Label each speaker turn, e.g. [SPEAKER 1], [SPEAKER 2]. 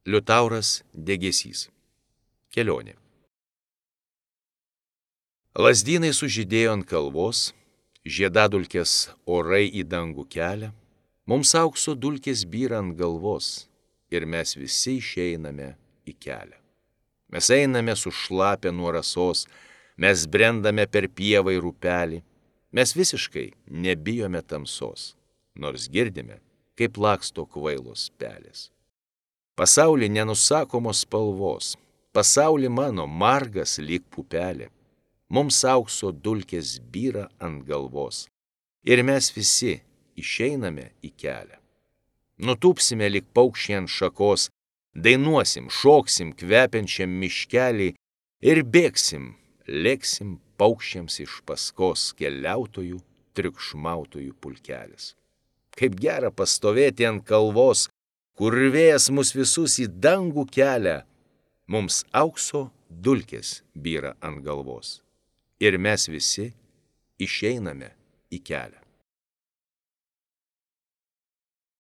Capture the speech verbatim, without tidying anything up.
[SPEAKER 1] Liutauras Degėsys. Kelionė. Lazdynai sužydėjo ant kalvos, žiedadulkės orai į dangų kelia, mums aukso dulkės byra ant galvos ir mes visi išeiname į kelią. Mes einame sušlapę nuo rasos, mes brendame per pievą ir upelį, mes visiškai nebijome tamsos, nors girdime, kaip laksto kvailos pelės. Pasaulį nenusakomos spalvos, pasaulį mano margas lyg pupelė, mums aukso dulkės byra ant galvos ir mes visi išeiname į kelią. Nutūpsime lyg paukščiai ant šakos, dainuosim, šoksim kvepiančiam miškelį ir bėgsim, lėksim paukščiams iš paskos keliautojų, triukšmautojų pulkelis. Kaip gera pastovėti ant kalvos, kur vėjas mus visus į dangų kelia, mums aukso dulkės byra ant galvos ir mes visi išeiname į kelią.